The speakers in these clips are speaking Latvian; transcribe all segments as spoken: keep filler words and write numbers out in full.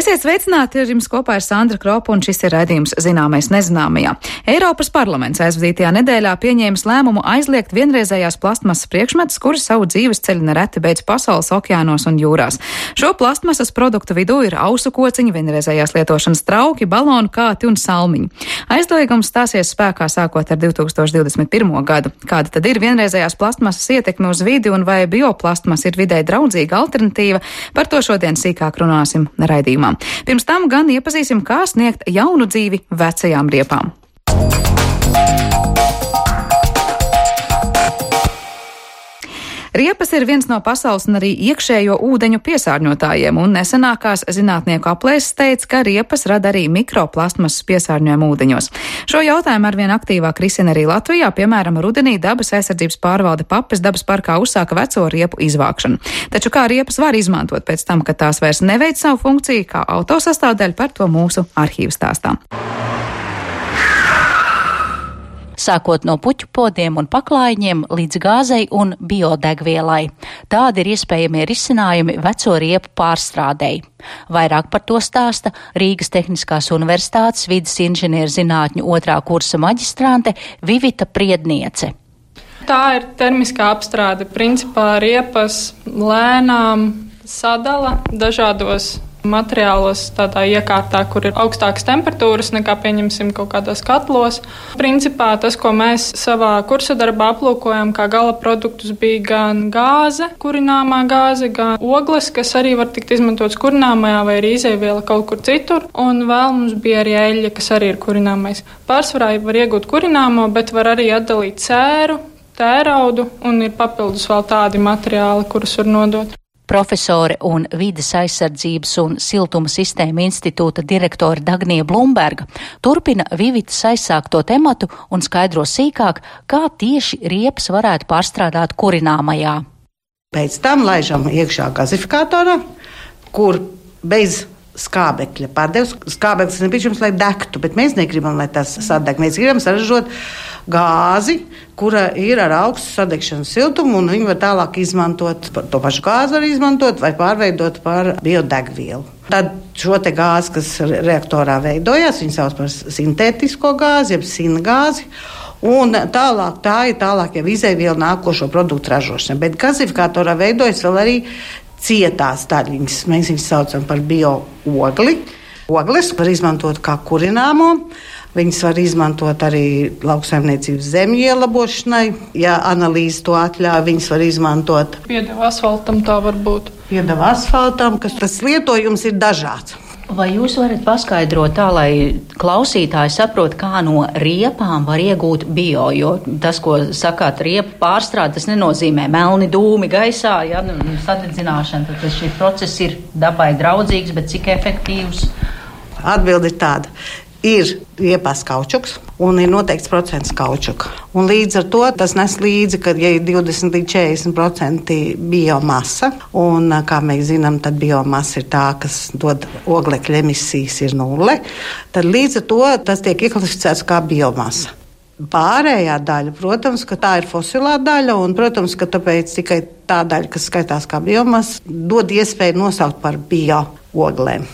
Esiet sveicināti, ar jums kopā ir Sandra Kropa, un šis ir raidījums Zināmais nezināmajā. Eiropas parlaments aizvadītajā nedēļā pieņēmis lēmumu aizliegt vienreizējās plastmasas priekšmetus, kuri savu dzīves ceļu nereti beidz pasaules okeānos un jūrās. Šo plastmasas produktu vidū ir ausu kociņi, vienreizējās lietošanas trauki, balonu kāti un salmiņi. Aizliegums stāsies spēkā sākot ar divi tūkstoši divdesmit pirmo gadu. Kāda tad ir vienreizējās plastmasas ietekme uz vidi un vai bioplastmas ir videi draudzīga alternatīva? Par to šodien sīkāk runāsim raidījumā. Pirms tam gan iepazīsim, kā sniegt jaunu dzīvi vecajām riepām. Riepas ir viens no pasaules un arī iekšējo ūdeņu piesārņotājiem, un nesenākās zinātnieku aplēses teica, ka riepas rada arī mikroplastmasas piesārņojumu ūdeņos. Šo jautājumu arvien aktīvāk risina arī Latvijā, piemēram, rudenī dabas aizsardzības pārvalde Papes dabas parkā uzsāka veco riepu izvākšanu. Taču kā riepas var izmantot pēc tam, kad tās vairs neveic savu funkciju, kā autosastāvdaļu, par to mūsu arhīvu stāstā. Sākot no puķu podiem un paklājiņiem līdz gāzei un biodegvielai. Tādi ir iespējamie risinājumi veco riepu pārstrādei. Vairāk par to stāsta Rīgas Tehniskās universitātes vides inženierzinātņu otrā kursa maģistrante Vivita Priedniece. Tā ir termiskā apstrāde. Principā riepas lēnām sadala dažādos materiālos tādā iekārtā, kur ir augstākas temperatūras nekā, pieņemsim, kaut kādos katlos. Principā tas, ko mēs savā kursa darbā aplūkojam kā gala produktus, bija gan gāze, kurināmā gāze, gan ogles, kas arī var tikt izmantots kurināmajā vai arī izejviela kaut kur citur, un vēl mums bija arī eļļa, kas arī ir kurināmais. Pārsvarā var iegūt kurināmo, bet var arī atdalīt sēru, tēraudu, un ir papildus vēl tādi materiāli, kurus var nodot. Profesore un vides aizsardzības un siltuma sistēma institūta direktore Dagnija Blumberga turpina Vivitas aizsākto tematu un skaidro sīkāk, kā tieši riepas varētu pārstrādāt kurināmajā. Pēc tam laižam iekšā gazifikatorā, kur bez skābekļa pārdevis. Skābeklis nepieciešams, lai degtu, bet mēs negribam, lai tas sadeg. Mēs gribam saražot gāzi, kura ir ar augstu sadegšanas siltumu, un viņi var tālāk izmantot, to pašu gāzi var izmantot vai pārveidot par biodegvielu. Tad šo te gāzi, kas reaktorā veidojās, viņi sauc par sintētisko gāzi, jeb singāzi, un tālāk tā ir tālāk jau izejviela nākošo produktu ražošana. Bet gazifikatorā veidojas vēl arī cietās daļiņas. Mēs viņus saucam par bio-ogli. Ogles var izmantot kā kurināmo. Viņas var izmantot arī lauksaimniecības zemju ielabošanai. Ja analīze to atļauj, viņas var izmantot. Piedeva asfaltam tā var būt. Piedeva asfaltam, kas tas lietojums ir dažāds. Vai jūs varat paskaidrot tā, lai klausītāji saprot, kā no riepām var iegūt bio, jo tas, ko sakāt riepu pārstrāde, tas nenozīmē melni dūmi gaisā, ja, sadedzināšana, tad šis process ir dabai draudzīgs, bet cik efektīvs? Atbilde ir tāda. Ir riepās kaučuks un ir noteikts procents kaučuka. Un līdz ar to tas nes līdzi, ka ja ir divdesmit līdz četrdesmit procenti biomasa, un kā mēs zinām, tad biomasa ir tā, kas dod oglekļa emisijas ir nulle, tad līdz ar to tas tiek ieklasificēts kā biomasa. Pārējā daļa, protams, ka tā ir fosilā daļa, un, protams, ka tāpēc tikai tā daļa, kas skaitās kā biomasa, dod iespēju nosaukt par bio-oglēm.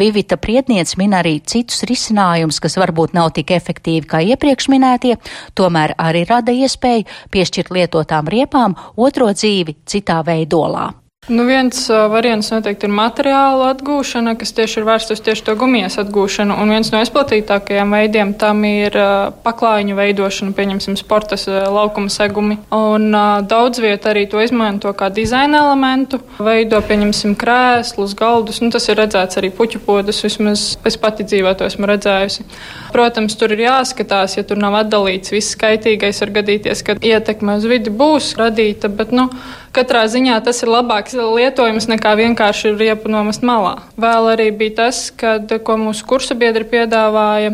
Vivita Priedniece min arī citus risinājumus, kas varbūt nav tik efektīvi kā iepriekš minētie, tomēr arī rada iespēju piešķirt lietotām riepām otro dzīvi citā veidolā. Nu, viens uh, variants noteikti ir materiālu atgūšana, kas tieši ir vērsts uz tieši to gumijas atgūšanu, un viens no izplatītākajiem veidiem tam ir uh, paklājiņu veidošana, pieņemsim sportas uh, laukuma segumi, un uh, daudz vieta arī to izmanto kā dizaina elementu, veido, pieņemsim, krēslus, galdus, nu, tas ir redzēts arī puķu podus, vismaz es pati dzīvē to esmu redzējusi. Protams, tur ir jāskatās, ja tur nav atdalīts viss skaitīgais, var gadīties, ka ietekme uz vidi būs radīta, bet, nu, katrā ziņā tas ir labāks lietojums nekā vienkārši riepu nomest malā. Vēl arī bija tas, kad, ko mūsu kursa biedri piedāvāja,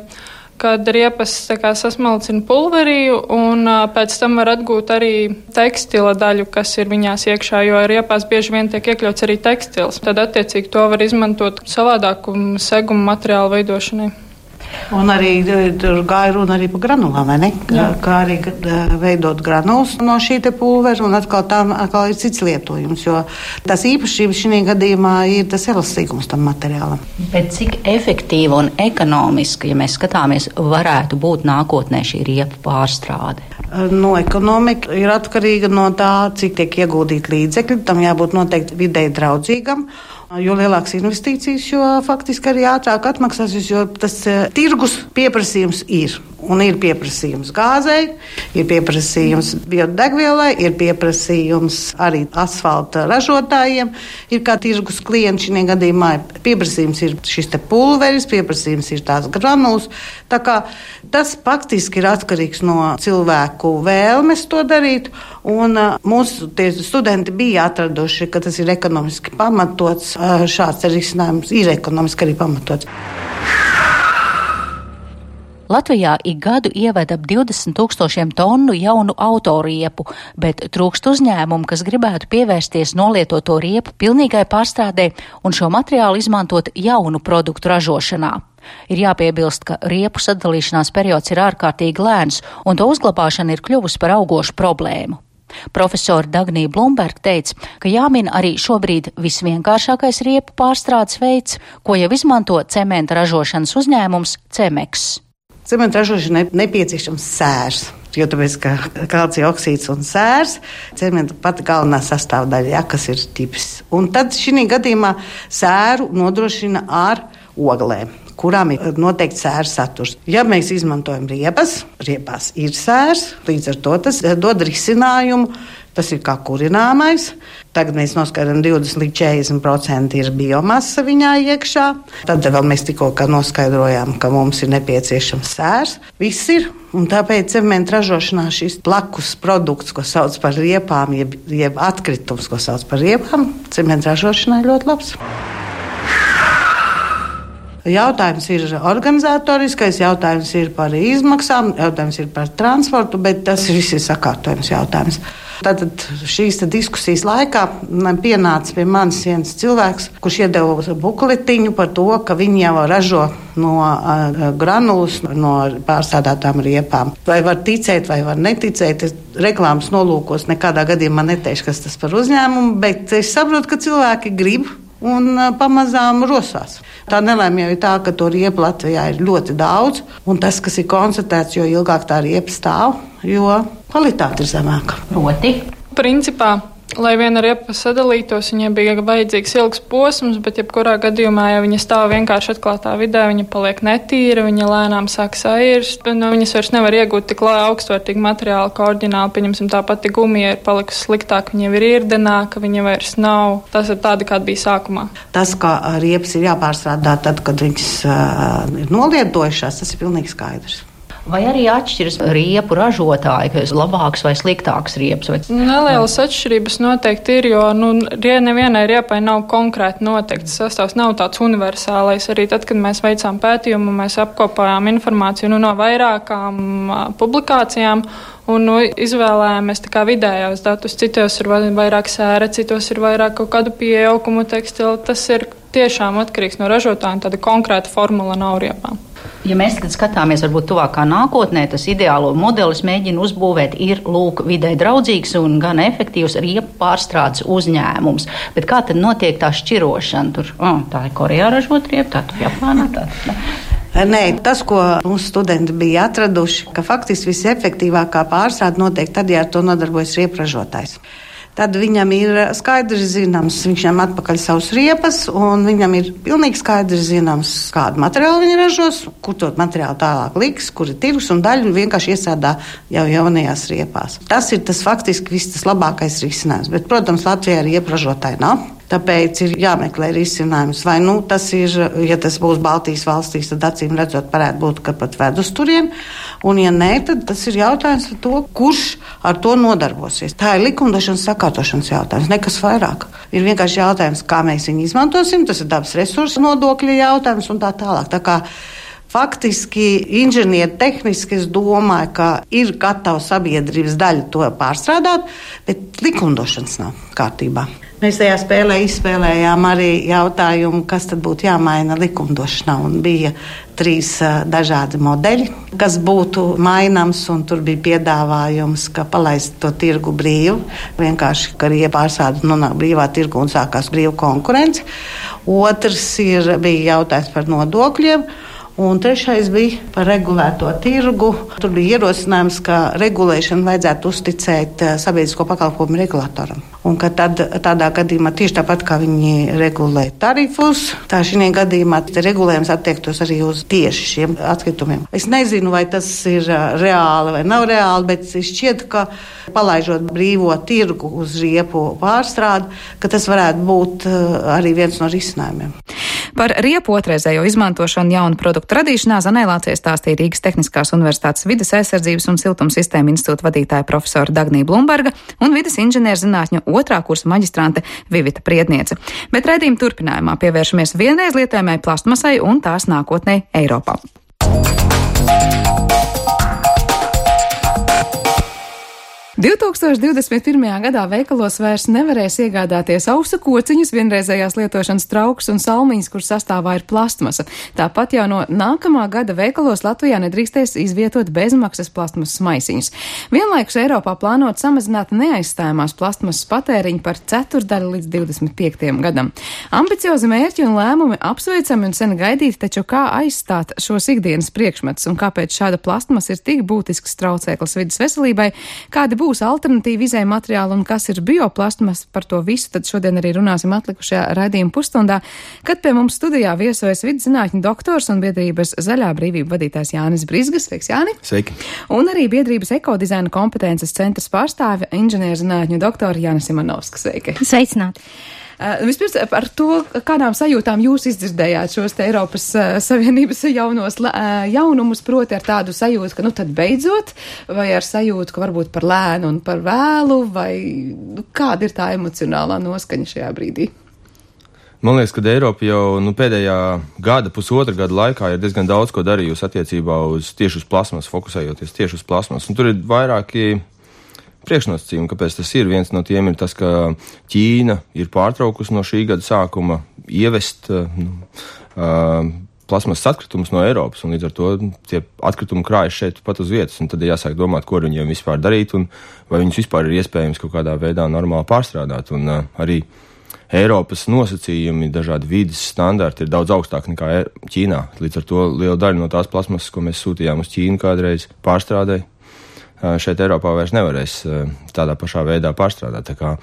kad riepas tā kā sasmalcina pulveriju un uh, pēc tam var atgūt arī tekstila daļu, kas ir viņās iekšā, jo riepās bieži vien tiek iekļauts arī tekstils. Tad attiecīgi to var izmantot savādāku segumu materiālu veidošanai. Un arī tur gāja runa arī par granulām, vai ne? Jā. Kā arī veidot granulas no šī te pulvera, un atkal tam atkal ir cits lietojums, jo tas īpašības šī gadījumā ir tas elastīgums tam materiālam. Bet cik efektīva un ekonomiska, ja mēs skatāmies, varētu būt nākotnē šī riepu pārstrāde? No ekonomika ir atkarīga no tā, cik tiek ieguldīt līdzekļi, tam jābūt noteikti videi draudzīgam. Jo lielākas investīcijas, jo faktiski arī ātrāk atmaksāsies, jo tas uh, tirgus pieprasījums ir. Un ir pieprasījums gāzei, ir pieprasījums biodegvielai, ir pieprasījums arī asfalta ražotājiem. Ir kā tirgus klienti šī gadījumā. Pieprasījums ir šis te pulveris, pieprasījums ir tās granulas. Tā kā tas faktiski ir atkarīgs no cilvēku vēlmes to darīt. Un uh, mūsu studenti bija atraduši, ka tas ir ekonomiski pamatots. Uh, šāds risinājums ir ekonomiski arī pamatots. Latvijā ik gadu ieved ap divdesmit tūkstošiem tonu jaunu autoriepu, bet trūkst uzņēmumu, kas gribētu pievērsties nolietoto riepu pilnīgai pārstrādē un šo materiālu izmantot jaunu produktu ražošanā. Ir jāpiebilst, ka riepu sadalīšanās periods ir ārkārtīgi lēns, un to uzglabāšana ir kļuvusi par augošu problēmu. Profesora Dagnija Blumberga teica, ka jāmin arī šobrīd visvienkāršākais riepu pārstrādes veids, ko jau izmanto cementa ražošanas uzņēmums Cemeks. Cementa ražošanai nepieciešams sērs, jo tāpēc, ka kalcija oksīds un sērs, cementa pati galvenā sastāvdaļa, ja, kas ir ķipis. Un tad šī gadījumā sēru nodrošina ar oglēm, kurām ir noteikti sēra saturs. Ja mēs izmantojam riepas, riepās ir sērs, līdz ar to tas dod risinājumu. Tas ir kā kurināmais. Tagad mēs noskaidrojam divdesmit līdz četrdesmit procenti ir biomasa viņā iekšā. Tad vēl mēs tikko noskaidrojām, ka mums ir nepieciešams sērs. Viss ir. Un tāpēc cementa ražošanā šis blakus produkts, ko sauc par riepām, jeb, jeb atkritums, ko sauc par riepām, cementa ražošanai ļoti labs. Jautājums ir organizatoriskais, jautājums ir par izmaksām, jautājums ir par transportu, bet tas viss ir sakārtojums jautājums. Tātad šīs diskusijas laikā pienāca pie manis viens cilvēks, kurš iedeva bukletiņu par to, ka viņi jau ražo no uh, granulas, no pārstrādātām riepām. Vai var ticēt, vai var neticēt, reklāmas nolūkos nekādā gadījumā neteikšu, kas tas par uzņēmumu, bet es saprotu, ka cilvēki grib un uh, pamazām rosās. Tā nelēma jau ir tā, ka to riepu Latvijā ir ļoti daudz, un tas, kas ir konstatēts, jo ilgāk tā riepa stāv, jo kvalitāte ir zemāka. Proti? Principā, lai viena riepa sadalītos, viņai bija vajadzīgs ilgs posms, bet jebkurā gadījumā, ja viņa stāv vienkārši atklātā vidē, viņa paliek netīra, viņa lēnām sāk sairst, no viņas vairs nevar iegūt tik augstvērtīgu materiālu, kā oriģināli, pieņemsim, tā pati gumija ir palikusi sliktāk, viņa ir irdenāka, viņa vairs nav. Tas ir tāda, kāda bija sākumā. Tas, ka riepas ir jāpārstrādā tad, kad viņas uh, ir nolietojušās, tas ir pilnīgi skaidrs. Vai arī atšķiras riepu ražotāji, ka ir labāks vai sliktāks riepas? Vai... Nelielas atšķirības noteikti ir, jo nu, nevienai riepai nav konkrēti noteikts sastāvs, nav tāds universālais. Arī tad, kad mēs veicām pētījumu, mēs apkopājām informāciju nu, no vairākām uh, publikācijām un nu, izvēlējāmies tā kā vidējos datus. Citos ir vairāk sēra, citos ir vairāk kaut kādu pieaugumu tekstilu. Tas ir tiešām atkarīgs no ražotājiem, tāda konkrēta formula nav riepām. Ja mēs tagad skatāmies varbūt tuvākā nākotnē, tas ideālo modelis mēģina uzbūvēt ir lūk vidē draudzīgs un gan efektīvs riepu pārstrādes uzņēmums. Bet kā tad notiek tā šķirošana? Tur, oh, tā ir Korejā ražot riepu, tā tur Japānā, tā tur. Nē, tas, ko mūsu studenti bija atraduši, ka faktiski visefektīvākā pārstrāde notiek tad, ja ar to nodarbojas riepu ražotājs. Tad viņam ir skaidrs zināms, viņam atpakaļ savus riepas, un viņam ir pilnīgi skaidrs zināms, kādu materiālu viņi ražos, kur to materiālu tālāk liks, kur ir tirgus un daļu vienkārši iesādā jau jaunajās riepās. Tas ir tas faktiski viss tas labākais risinājums, bet, protams, Latvijā riepu ražotāji nav. Tāpēc ir jāmeklē risinājums. Vai nu tas ir, ja tas būs Baltijas valstīs, tad acīm redzot varētu būt, ka pat ved uz turien. Un ja nē, tad tas ir jautājums par to, kurš ar to nodarbosies. Tā ir likumdošanas sakārtošanas jautājums, nekas vairāk. Ir vienkārši jautājums, kā mēs viņu izmantosim, tas ir dabas resursu nodokļa jautājums un tā tālāk. Tā kā faktiski inženieri tehniski es domāju, ka ir gatava sabiedrības daļa to pārstrādāt, bet likumdošanas nav kārtībā. Mēs tajā spēlē izspēlējām arī jautājumu, kas tad būtu jāmaina likumdošanā. Un bija trīs uh, dažādi modeļi, kas būtu maināms, un tur bija piedāvājums, ka palaist to tirgu brīvu. Vienkārši, ka arī pārsādi nonāk brīvā tirgu un sākās brīva konkurence. Otrs ir, bija jautājums par nodokļiem. Un trešais bija par regulēto tirgu. Tur bija ierosinājums, ka regulēšanu vajadzētu uzticēt sabiedrisko pakalpojumu regulātoram. Un ka tad, tādā gadījumā tieši tāpat kā viņi regulē tarifus, tā šī gadījumā regulējums attiektos arī uz tieši šiem atkritumiem. Es nezinu, vai tas ir reāli vai nav reāli, bet šķiet, ka palaižot brīvo tirgu uz riepu pārstrādi, ka tas varētu būt arī viens no risinājumiem. Par riepu otrreizējo izmantošanu jaunu produktu radīšanā Zanēlācijai stāstīja Rīgas Tehniskās Universitātes vides aizsardzības un siltumsistēmu institūta vadītāja profesora Dagnija Blumberga un vides inženierzinātņu otrā kursa maģistrante Vivita Priedniece. Bet raidījuma turpinājumā pievēršamies vienreiz lietojamai plastmasai un tās nākotnei Eiropā. divtūkstoš divdesmit pirmajā gadā veikalos vairs nevarēs iegādāties ausu kociņus, vienreizējās lietošanas traukus un salmiņas, kur sastāvā ir plastmasa. Tāpat jau no nākamā gada veikalos Latvijā nedrīkstēs izvietot bezmaksas plastmasas maisiņus. Vienlaikus Eiropā plānot samazināt neaizstājamās plastmasas patēriņu par ceturdaļu līdz divdesmit piektajam gadam. Ambiciozi mērķi un lēmumi apsveicami un sen gaidīti, taču kā aizstāt šos ikdienas priekšmetus un kāpēc šāda plastmasa ir tik būtisks traucēklis vidas veselībai, kādi būs būs alternatīva izēja materiāli un kas ir bioplastmas, par to visu tad šodien arī runāsim atlikušajā raidījuma pusstundā, kad pie mums studijā viesojas vidas zinātņu doktors un biedrības Zaļā brīvība vadītājs Jānis Brizgas. Sveiks, Jāni! Sveiki! Un arī biedrības ekodizaina kompetences centras pārstāve inženierzinātņu doktora Jāna Simonovska. Sveiki! Sveicināti! Uh, vispirms par to, kādām sajūtām jūs izdzirdējāt šos te Eiropas uh, Savienības jaunos uh, jaunumus, proti ar tādu sajūtu, ka nu tad beidzot, vai ar sajūtu, ka varbūt par lēnu un par vēlu, vai nu, kāda ir tā emocionālā noskaņa šajā brīdī? Man liekas, ka Eiropa jau nu, pēdējā gada, pusotra gada laikā ir diezgan daudz ko darījusi attiecībā uz tieši uz plasmas, fokusējoties tieši uz plasmas. Un tur ir vairāki priekšnosacījumi, kāpēc tas ir. Viens no tiem ir tas, ka Ķīna ir pārtraukusi no šī gada sākuma ievest nu, uh, plasmasas atkritumus no Eiropas, un līdz ar to tie atkritumi krājas šeit pat uz vietas, un tad ir jāsāk domāt, ko ar viņiem vispār darīt, un vai viņus vispār ir iespējams kaut kādā veidā normāli pārstrādāt. Un uh, arī Eiropas nosacījumi, dažādi vides standarti ir daudz augstāki nekā Ķīnā. Līdz ar to liela daļa no tās plasmasas, ko mēs sūtījām uz Ķīnu kādreiz pārstrādē, šeit Eiropā vairs nevarēs tādā pašā veidā pārstrādāt. Tā kā,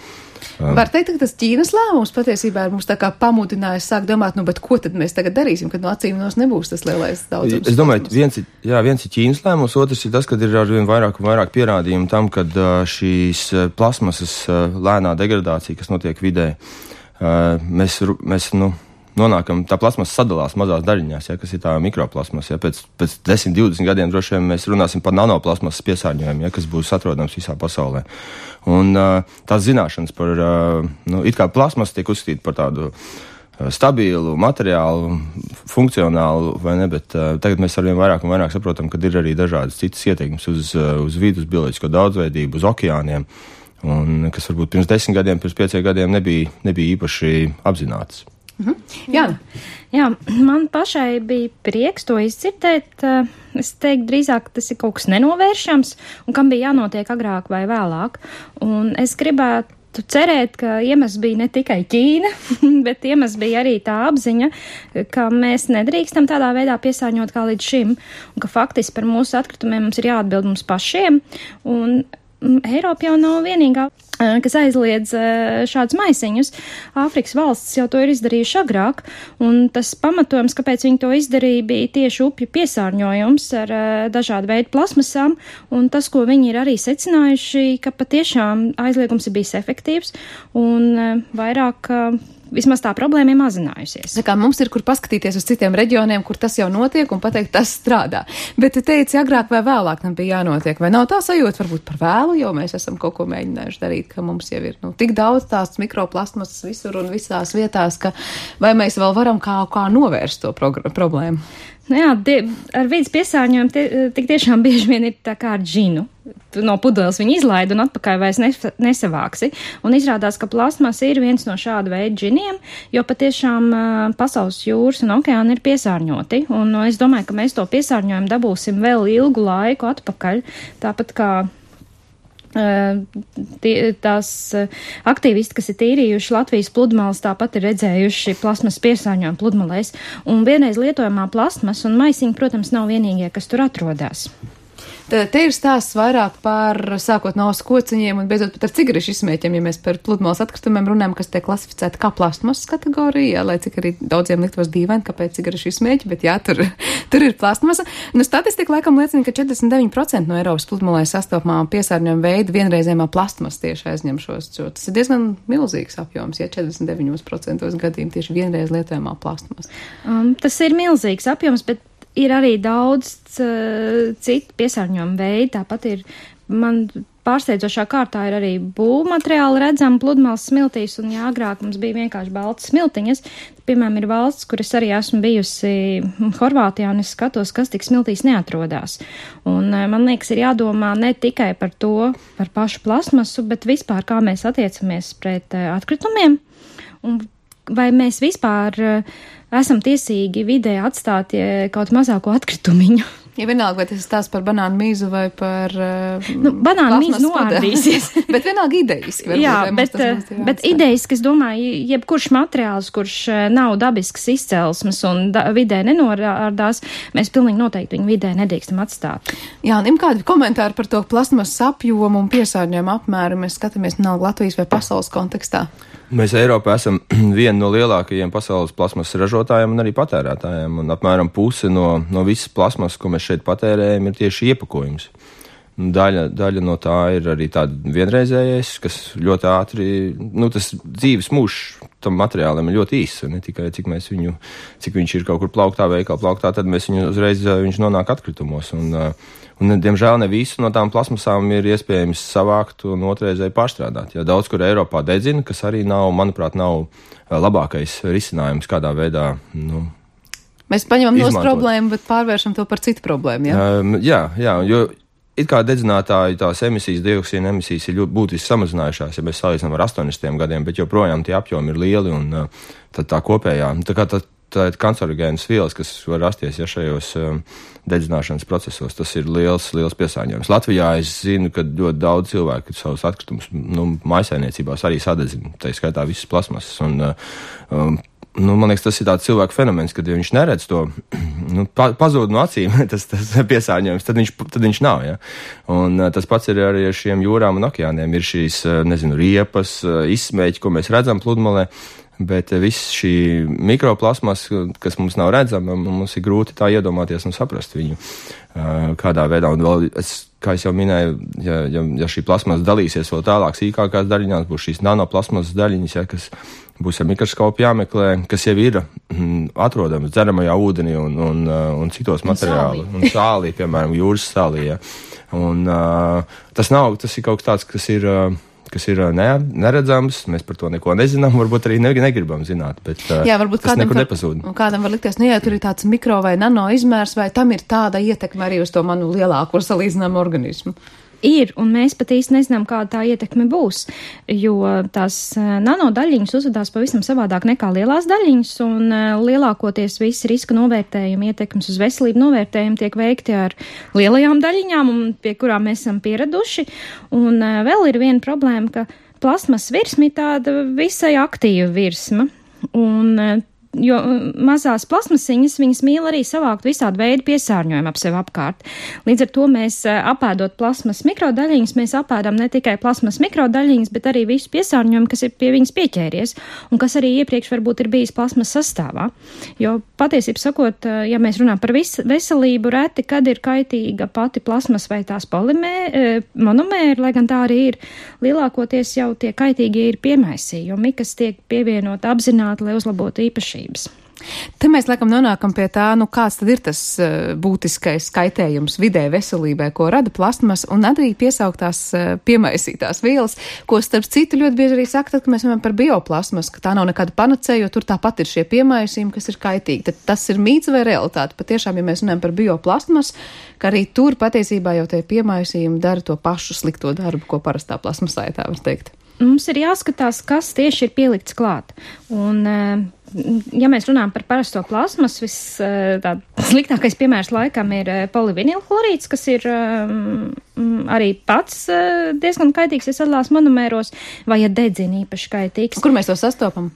Var teikt, ka tas Ķīnas lēmums patiesībā ir mums tā kā pamudinājis sāk domāt, nu, bet ko tad mēs tagad darīsim, kad no acīm nos nebūs tas lielais daudzums? Es domāju, viens ir, jā, viens ir Ķīnas lēmums, otrs ir tas, kad ir arvien vairāk un vairāk pierādījumu tam, kad šīs plasmasas lēnā degradācija, kas notiek vidē, mēs, mēs nu, nonākam, tā plasmasa sadalās mazās daļiņās, ja, kas ir tā mikroplasmasa. Ja, pēc, pēc desmit, divdesmit gadiem droši vien mēs runāsim par nanoplasmasas piesārņojumu, ja, kas būs atrodams visā pasaulē. Un uh, tās zināšanas par, uh, nu, it kā plasmasa tiek uzskatīta par tādu uh, stabilu, materiālu, funkcionālu, vai ne, bet uh, tagad mēs arvien vairāk un vairāk saprotam, ka ir arī dažādas citas ieteikums uz, uh, uz vidu, uz bioloģisko daudzveidību, uz okeāniem, un kas varbūt pirms desmit gadiem, pirms pieciem gadiem nebija, nebija īpaši apzinātas. Mhm. Jā. Jā, man pašai bija prieks to izdzirdēt. Es teiktu drīzāk, ka tas ir kaut kas nenovēršams un kam bija jānotiek agrāk vai vēlāk. Un es gribētu cerēt, ka iemesls bija ne tikai Ķīna, bet iemesls bija arī tā apziņa, ka mēs nedrīkstam tādā veidā piesārņot kā līdz šim un ka faktiski par mūsu atkritumiem mums ir jāatbild mums pašiem. Un Eiropa jau nav vienīgā, kas aizliedz šādus maisiņus. Āfrikas valstis jau to ir izdarījuši agrāk, un tas pamatojums, kāpēc viņi to izdarīja, bija tieši upju piesārņojums ar dažādu veidu plasmasām, un tas, ko viņi ir arī secinājuši, ka patiešām aizliegums ir bijis efektīvs, un vairāk vismaz tā problēma ir mazinājusies. Tā kā mums ir, kur paskatīties uz citiem reģioniem, kur tas jau notiek un pateikt, tas strādā. Bet tu teici, agrāk vai vēlāk tam bija jānotiek, vai nav tā sajūta varbūt par vēlu, jo mēs esam kaut ko mēģinājuši darīt, ka mums jau ir nu, tik daudz tās mikroplasmasas visur un visās vietās, ka vai mēs vēl varam kā, kā novērst to problēmu? Nu jā, die, ar vidas piesārņojumu tie, tik tiešām bieži vien ir tā kā ar džinu. no pudeles viņu izlaid un atpakaļ vairs nesavāksi. Un izrādās, ka plasmas ir viens no šāda veida džiniem, jo patiešām pasaules jūras un okeāni ir piesārņoti. Un es domāju, ka mēs to piesārņojumu dabūsim vēl ilgu laiku atpakaļ, tāpat kā tās aktīvisti, kas ir tīrījuši Latvijas pludmales, tāpat ir redzējuši plasmas piesārņojumu pludmalēs. Un vienreiz lietojamā plasmas un maisiņi, protams, nav vienīgie, kas tur atrodas. Te, te ir stāsts vairāk par sākot no skociņiem un beidzot pat ar cigarešu izsmēķiem, ja mēs par pludmales atkritumiem runājam, kas tiek klasificēta kā plastmasas kategorija, lai cik arī daudziem liktos dīvaini, kāpēc cigarešu izsmēķi, bet jā, tur, tur ir plastmasa. Nu, statistika laikam liecina, ka četrdesmit deviņi procenti no Eiropas pludmalēs sastopamā piesārņojuma veida vienreizējumā plastmas tieši aizņem šos. Tas ir diezgan milzīgs apjoms, ja četrdesmit deviņi procenti gadījumu tieši vienreiz lietojamā plastmas. Um, tas ir milzīgs apjoms, bet ir arī daudz uh, citu piesārņojumu veidu, tāpat ir, man pārsteidzošā kārtā ir arī būvmateriāli redzami pludmales smiltīs, un jā, agrāk mums bija vienkārši baltas smiltiņas. Piemēram, ir valsts, kur es arī esmu bijusi Horvātijā, un es skatos, kas tik smiltīs neatrodās. Un uh, man liekas, ir jādomā ne tikai par to, par pašu plasmasu, bet vispār, kā mēs attiecamies pret uh, atkritumiem, un vai mēs vispār uh, esam tiesīgi vidē atstāt kaut mazāko atkritumiņu. Ja vienalga, vai tas ir tās par banānu mīzu vai par uh, nu, banānu mīzu noārdīsies. Bet vienalga ideiski. Varbūt, jā, bet, bet ideiski, es domāju, jebkurš materiāls, kurš nav dabisks izcelsmes un da, vidē nenorādās, mēs pilnīgi noteikti viņu vidē nedrīkstam atstāt. Jā, un kādi komentāri par to plasmas apjomu un piesārņojumu apmēru mēs skatāmies vienalga Latvijas vai pasaules kontekstā? Mēs Eiropā esam viena no lielākajiem pasaules plasmas ražotājiem un arī patērētājiem, un apmēram puse no, no visas plasmas, ko mēs šeit patērējam, ir tieši iepakojums. Daļa, daļa no tā ir arī tāda vienreizējais, kas ļoti ātri, nu tas dzīves mūžs tam materiālam ir ļoti īss, ne tikai cik mēs viņu, cik viņš ir kaut kur plauktā, veikala plauktā, tad mēs viņu uzreiz, viņš nonāk atkritumos. Un, un diemžēl ne visu no tām plasmasām ir iespējams savākt un otrreizēji pārstrādāt. Ja daudz kur Eiropā dedzina, kas arī nav, manuprāt, nav labākais risinājums kādā veidā, nu, mēs paņemam nost problēmu, bet pārvēršam to par citu problēmu, jā? Um, jā, jā, jo it kā dedzinātāji tās emisijas, dioksīna emisijas ir ļoti būtiski samazinājušās, ja mēs salīdzinām ar astoņdesmitiem gadiem, bet joprojām tie apjomi ir lieli un uh, tad tā kopējā, tā kā tā, tā ir kancerogēnas vielas, kas var rasties, ja šajos um, dedzināšanas procesos, tas ir liels, liels piesārņojums. Latvijā es zinu, ka ļoti daudz cilvēku savus atkritumus, nu, mājsaimniecībās arī sadedzina, tā skaitā visas plasmasas un uh, um, nu, man liekas, tas ir tāds cilvēku fenomens, kad ja viņš neredz to, nu, pa, pazūd no acīm, tas, tas piesārņojums, tad viņš, tad viņš nav, ja. Un uh, tas pats ir arī ar šiem jūrām un okeāniem. Ir šīs, uh, nezinu, riepas, uh, izsmēķi, ko mēs redzam pludmalē, bet uh, viss šī mikroplasmas, kas mums nav redzama, mums ir grūti tā iedomāties un saprast viņu uh, kādā veidā. Un vēl, es, kā es jau minēju, ja, ja, ja šī plasmas dalīsies vēl tālāk sīkākās daļiņās, būs šīs nanoplasmas daļiņas, ja, kas būs ar mikroskopu jāmeklē, kas jau ir mm, atrodams dzeramajā ūdenī un, un, un citos materiālos. Un sālī, piemēram, jūras sālī. Ja. Un uh, tas nav, tas ir kaut kas tāds, kas ir, uh, kas ir ne, neredzams, mēs par to neko nezinām, varbūt arī ne, negribam zināt, bet uh, jā, varbūt tas nekur var, nepazūd. Kādam var likties, nu jā, tur ir tāds mikro vai nano izmērs, vai tam ir tāda ietekme arī uz to manu lielāko salīdzināmu organismu? Ir, un mēs pat īsti nezinām, kāda tā ietekme būs, jo tās nanodaļiņas uzvedās pavisam savādāk nekā lielās daļiņas, un lielākoties visi riska novērtējumi, ietekmes uz veselību novērtējumi tiek veikti ar lielajām daļiņām, un pie kurām mēs esam pieraduši. Un vēl ir viena problēma, ka plasmas virsma ir tāda visai aktīva virsma, un jo mazās plasmasiņas, viņas mīl arī savākt visādu veidu piesārņojumu ap sevi apkārt. Līdz ar to mēs apēdot plasmas mikrodaļiņas, mēs apēdam ne tikai plasmas mikrodaļiņas, bet arī visu piesārņojumu, kas ir pie viņas pieķēries, un kas arī iepriekš varbūt ir bijis plasmas sastāvā. Jo patiesībā sakot, ja mēs runājam par vis, veselību, reti, kad ir kaitīga pati plasmas vai tās polimē, monomēri, lai gan tā arī ir, lielākoties jau tie kaitīgi ir piemaisī, jo mikas tiek pievienot apzināti, lai uzlabotu īpašību. Te mēs laikam nonākam pie tā, nu kāds tad ir tas uh, būtiskais kaitējums vidē veselībai, ko rada plastmas un arī piesauktās uh, piemaisītās vielas, ko starp citu ļoti bieži arī saka, tad, ka mēs runājam par bioplasmas, ka tā nav nekāda panacēja, jo tur tāpat ir šie piemaisījumi, kas ir kaitīgi. Tad tas ir mīts vai realitāte? Patiešām, ja mēs runājam par bioplasmas, ka arī tur patiesībā jau tie piemaisījumi dara to pašu slikto darbu, ko parastā plasmasā, ja tā var teikt. Mums ir jāskatās, kas tieši ir pielikts klāt. Un, ja mēs runājam par parasto plasmas, viss tā sliktākais piemērs laikam ir polivinilhlorīds, kas ir arī pats diezgan kaitīgs, ja sadalās monomēros, vai ja dedzina īpaši kaitīgs. Kur mēs to sastopam?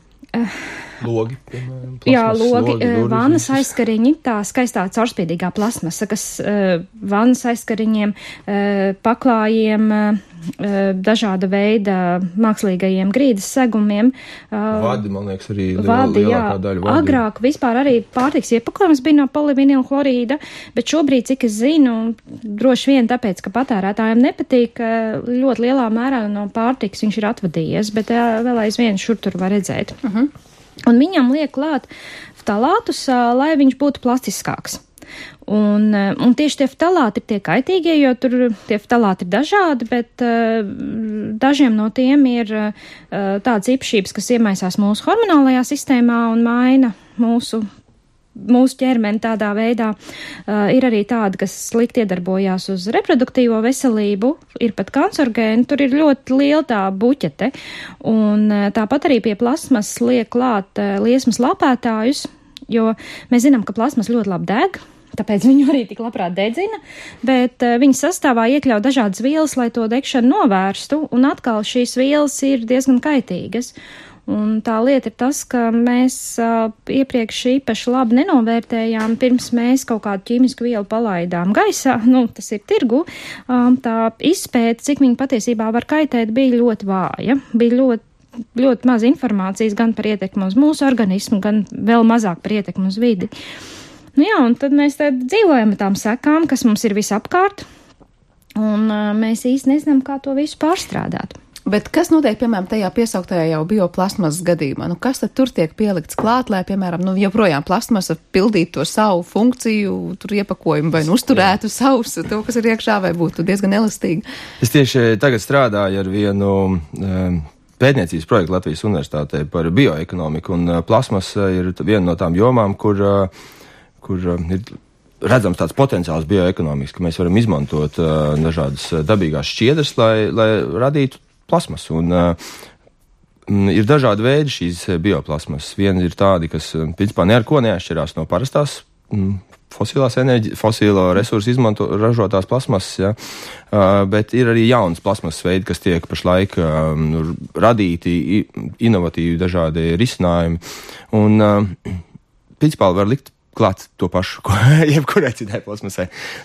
Logi, piemēram, jā, logi, logi vannas aizskariņi, tā skaistā caurspīdīgā plasmasa, kas uh, vannas aizskariņiem, uh, paklājiem, uh, dažāda veida mākslīgajiem grīdas segumiem. Uh, vadi, man liekas, arī vadi, lielākā jā, daļa vadi. Agrāk vispār arī pārtiks iepakojums bija no polivinilhlorīda, bet šobrīd, cik es zinu, droši vien tāpēc, ka patērētājiem nepatīk, ļoti lielā mērā no pārtiks viņš ir atvadījies, bet uh, vēl aizvien šur tur var redzēt. Uh-huh. Un viņam liek klāt ftalātus, lai viņš būtu plastiskāks. Un, un tieši tie ftalāti ir tie kaitīgie, jo tur tie ftalāti ir dažādi, bet uh, dažiem no tiem ir uh, tādas īpašības, kas iemaisās mūsu hormonālajā sistēmā un maina mūsu mūsu ķermeni tādā veidā. Uh, ir arī tādi, kas slikti iedarbojās uz reproduktīvo veselību, ir pat kancerogēni, tur ir ļoti liela tā buķete. Un uh, tāpat arī pie plasmas liek klāt uh, liesmas lapētājus, jo mēs zinām, ka plasmas ļoti labi deg, tāpēc viņu arī tik labprāt dedzina, bet uh, viņa sastāvā iekļauj dažādas vielas, lai to degšanu novērstu, un atkal šīs vielas ir diezgan kaitīgas. Un tā lieta ir tas, ka mēs uh, iepriekš īpaši labi nenovērtējām, pirms mēs kaut kādu ķīmisku vielu palaidām gaisā, nu, tas ir tirgu, um, tā izpēta, cik viņa patiesībā var kaitēt, bija ļoti vāja, bija ļoti, ļoti maz informācijas gan par ietekmi uz mūsu organismu, gan vēl mazāk par ietekmi uz vidi. Nu jā, un tad mēs tad dzīvojam ar tām sekām, kas mums ir visapkārt, un uh, mēs īsti nezinām, kā to visu pārstrādāt. Bet kas notiek, piemēram, tajā piesauktajā jau bioplasmasas gadījumā? Nu, kas tad tur tiek pielikts klāt, lai, piemēram, nu, joprojām plasmasa pildītu to savu funkciju, tur iepakojumu vai nu uzturētu savus, to, kas ir iekšā, vai būtu diezgan elastīgi? Es tieši tagad strādāju ar vienu um, pētniecības projektu Latvijas Universitātē par bioekonomiku, un uh, plasmasa ir viena no tām jomām, kur, uh, kur uh, ir redzams tāds potenciāls bioekonomikas, ka mēs varam izmantot uh, dažādas dabīgās šķiedras, lai, lai radītu plasmas, un uh, ir dažādi veidi šīs bioplasmas. Viena ir tādi, kas, principā, ne ar ko neatšķirās no parastās mm, fosilās enerģi, fosilo resursu izmanto, ražotās plasmasas, ja? uh, bet ir arī jaunas plasmasas veidi, kas tiek pašlaik uh, radīti, inovatīvi dažādi risinājumi, un uh, principā var likt klāt to pašu, ko jebkurai citai plasmasai.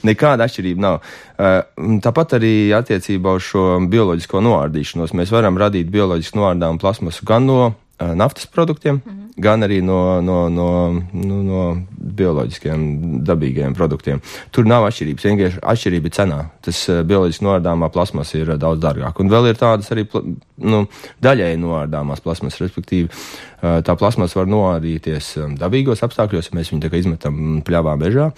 Nekāda atšķirība nav. Uh, tāpat arī attiecībā uz šo bioloģisko noārdīšanos mēs varam radīt bioloģiski noārdāmu plasmasu gan no uh, naftas produktiem, mm-hmm. gan arī no, no, no, no, no bioloģiskiem dabīgiem produktiem. Tur nav atšķirības, vienkārši atšķirība ir cenā. Tas uh, bioloģiski noārdāmā plasmasa ir uh, daudz dārgāk. Un vēl ir tādas arī pla, nu, daļēji noārdāmās plasmasas, respektīvi uh, tā plasmasa var noārdīties um, dabīgos apstākļos, ja mēs viņu tā kā izmetam pļavā mežā,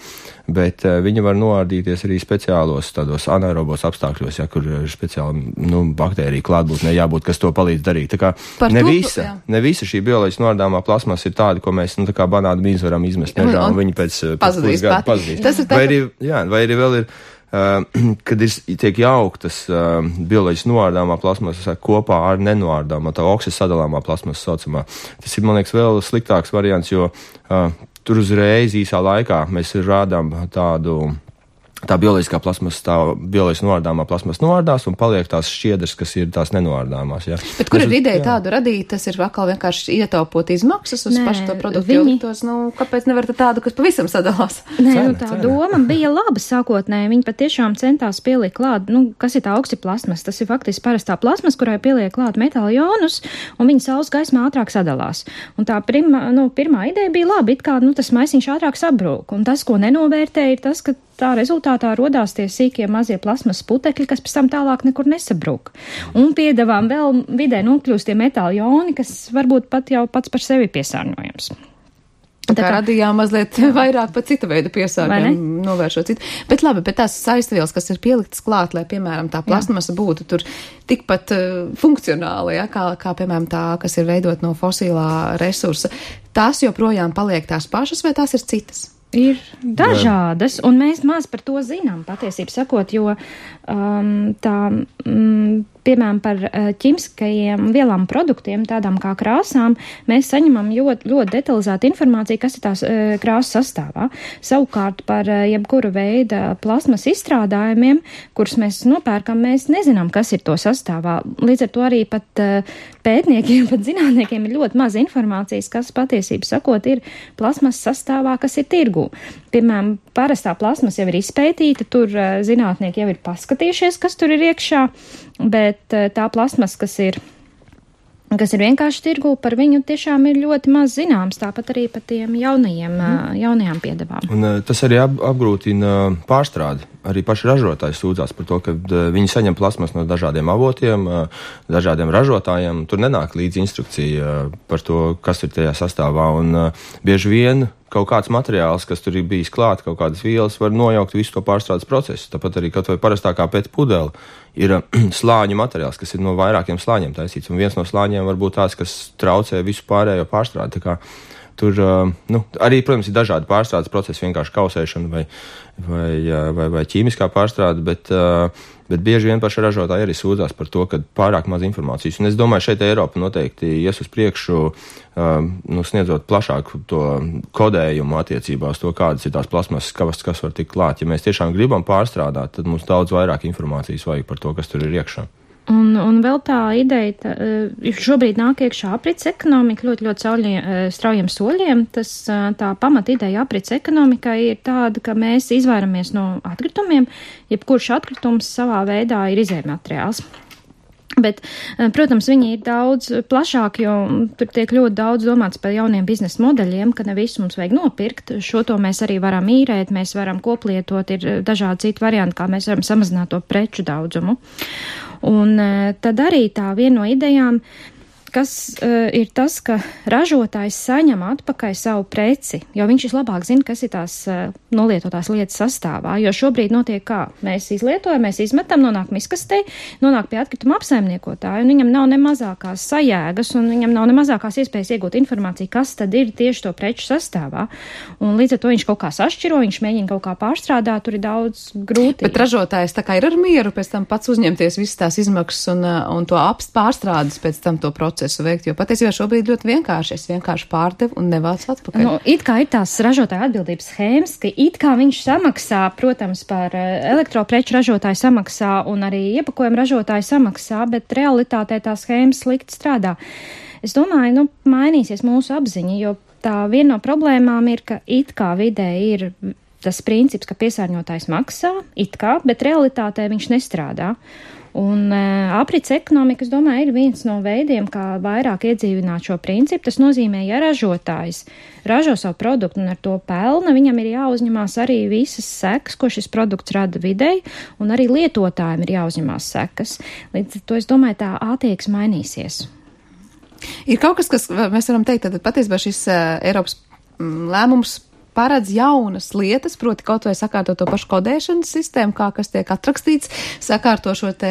bet uh, viņa var noārdīties arī speciālos tādos anaerobos apstākļos, ja, kur ir speciāli nu, baktērija klātbūtnē jābūt, kas to palīdz darīt. Tā kā ne to, visa, ne visa šī bioloģiski noārdāmā plasmasa ir tāda, ko mēs nu, tā kā banānu mīzu varam izmest mežā, un, un viņi pēc, pēc pusgada pazudīs. Vai arī, jā, vai arī vēl ir Uh, kad ir, tiek jauktas uh, bioloģiski noārdāmā plasmasa kopā ar nenoārdāmā, tā oksisadalāmā plasmasa saucamā. Tas ir, man liekas, vēl sliktāks variants, jo uh, tur uzreiz īsā laikā mēs rādām tādu, tā bioloģiskā plasmasa, tā bioloģiski noārdāmā plasmasa noārdās un paliek tās šķiedras, kas ir tās nenoārdāmās. Ja. Bet kur tas, ir ideja jā. tādu radīt? Tas ir atkal vienkārši ietaupot izmaksas uz Nē, pašu to produktu, viņi... jo tos, nu, kāpēc nevar tādu, kas pavisam sadalās? Nē, Cena, nu tā cena. doma bija laba sākotnēji. Viņi patiešām centās pielikt klāt, nu, kas ir tā oksiplasmas. Tas ir faktiski parastā plasmas, kurai pieliek klāt metāla jonus, un viņa saules gaismā ātrāk sadalās. Un tā pirma, nu, pirmā ideja bija laba, it kā, nu, tas maisiņš ātrāk sabrūk. Un tas, ko nenovērtē, ir tas, ka tā rezultātā rodās tie sīkie mazie plasmas putekļi, kas pēc tam tālāk nekur nesabrūk. Un piedevām vēl vidē nokļūst tie metāla joni, kas varbūt pat jau pats par sevi piesārņojams. Tā kā radījām mazliet vairāk pa cita veida piesārņojumu, novēršot citu. Bet labi, bet tās saistvielas, kas ir pieliktas klāt, lai, piemēram, tā plasmasa būtu tur tikpat uh, funkcionāla, ja, kā, kā, piemēram, tā, kas ir veidot no fosilā resursa, tās joprojām paliek tās pašas vai tās ir citas? Ir dažādas, un mēs maz par to zinām, patiesību sakot, jo um, tā, mm, piemēram, par ķīmiskajiem vielām produktiem, tādām kā krāsām, mēs saņemam ļoti, ļoti detalizētu informāciju, kas ir tās e, krāsas sastāvā. Savukārt par e, jebkuru veidu plasmas izstrādājumiem, kurus mēs nopērkam, mēs nezinām, kas ir to sastāvā. Līdz ar to arī pat e, pētniekiem, pat zinātniekiem ir ļoti maz informācijas, kas patiesību sakot ir plasmas sastāvā, kas ir tirgū. Piemēram, parastā plasmas jau ir izpētīta, tur e, zinātnieki jau ir paskatījušies, kas tur ir iekšā, bet tā plasmas, kas ir, kas ir vienkārši tirgū, par viņu tiešām ir ļoti maz zināms, tāpat arī par tiem jaunajiem, mm. jaunajām piedevām. Un tas arī ap, apgrūtina pārstrādi. Arī paši ražotāji sūdzās par to, ka viņi saņem plasmas no dažādiem avotiem, dažādiem ražotājiem. Tur nenāk līdz instrukcija par to, kas ir tajā sastāvā. Un bieži vien kaut kāds materiāls, kas tur ir bijis klāt, kaut kādas vielas, var nojaukt visu to pārstrādes procesu. Tāpat arī kaut vai parastākā pēc pudele ir slāņu materiāls, kas ir no vairākiem slāņiem taisīts. Un viens no slāņiem var būt tāds, kas traucē visu pārējo pārstrādi. Tā kā tur nu, arī, protams, ir dažādi pārstrādes procesi, vienkārši kausēšana vai, vai, vai, vai ķīmiskā pārstrāde, bet, bet bieži vien paši ražotāji arī sūdzās par to, ka pārāk maz informācijas. Un es domāju, šeit Eiropa noteikti ies uz priekšu, nu, sniedzot plašāku to kodējumu attiecībā uz to, kādas ir tās plasmasas, kas, kas var tikt klāt. Ja mēs tiešām gribam pārstrādāt, tad mums daudz vairāk informācijas vajag par to, kas tur ir iekšā. Un, un vēl tā ideja, tā, šobrīd nāk iekšā aprits ekonomika ļoti, ļoti sauļiem, straujiem soļiem. Tas, tā pamat ideja aprits ekonomikai ir tāda, ka mēs izvairamies no atkritumiem, jebkurš atkritums savā veidā ir izējmateriāls. Bet, protams, viņi ir daudz plašāk, jo tur tiek ļoti daudz domāts par jauniem biznesa modeļiem, ka ne visu mums vajag nopirkt. Šo to mēs arī varam īrēt, mēs varam koplietot, ir dažādi citi varianti, kā mēs varam samazināt to preču daudzumu. Un tad arī tā viena no idejām, kas uh, ir tas, ka ražotājs saņem atpakaļ savu preci, jo viņš vislabāk zina, kas ir tās uh, nolietotās lietas sastāvā, jo šobrīd notiek kā? Mēs izlietojam, mēs izmetam, nonāk miskastei, nonāk pie atkrituma apsaimniekotāja, un viņam nav ne mazākās sajēgas, un viņam nav ne mazākās iespējas iegūt informāciju, kas tad ir tieši to preču sastāvā. Un līdz ar to viņš kaut kā sašķiro, viņš mēģina kaut kā pārstrādāt, tur ir daudz grūti. Bet ražotājs tā kā ir ar mieru pēc tam pats uzņemties visas tās izmaksas un, un to apst pārstrādes pēc tam to procesu veikt, jo patiesībā šobrīd ļoti vienkārši. Es vienkārši pārdevu un nevācu atpakaļ. Nu, it kā ir tās ražotāja atbildības schēmas, ka it kā viņš samaksā, protams, par elektropreču ražotāju samaksā un arī iepakojumu ražotāju samaksā, bet realitātē tā schēmas slikti strādā. Es domāju, nu, mainīsies mūsu apziņa, jo tā viena no problēmām ir, ka it kā vidē ir tas princips, ka piesārņotājs maksā, it kā, bet realitātē viņš nestrādā. Un uh, aprits ekonomika, es domāju, ir viens no veidiem, kā vairāk iedzīvināt šo principu. Tas nozīmē, ja ražotājs ražo savu produktu un ar to pelna, viņam ir jāuzņemās arī visas sekas, ko šis produkts rada videi, un arī lietotājiem ir jāuzņemās sekas. Līdz ar to, es domāju, tā attieksme mainīsies. Ir kaut kas, kas mēs varam teikt, tad patiesībā šis uh, Eiropas mm, lēmums paredz jaunas lietas, proti kaut vai sakārto to pašu kodēšanas sistēmu, kā kas tiek atrakstīts, sakārto šo te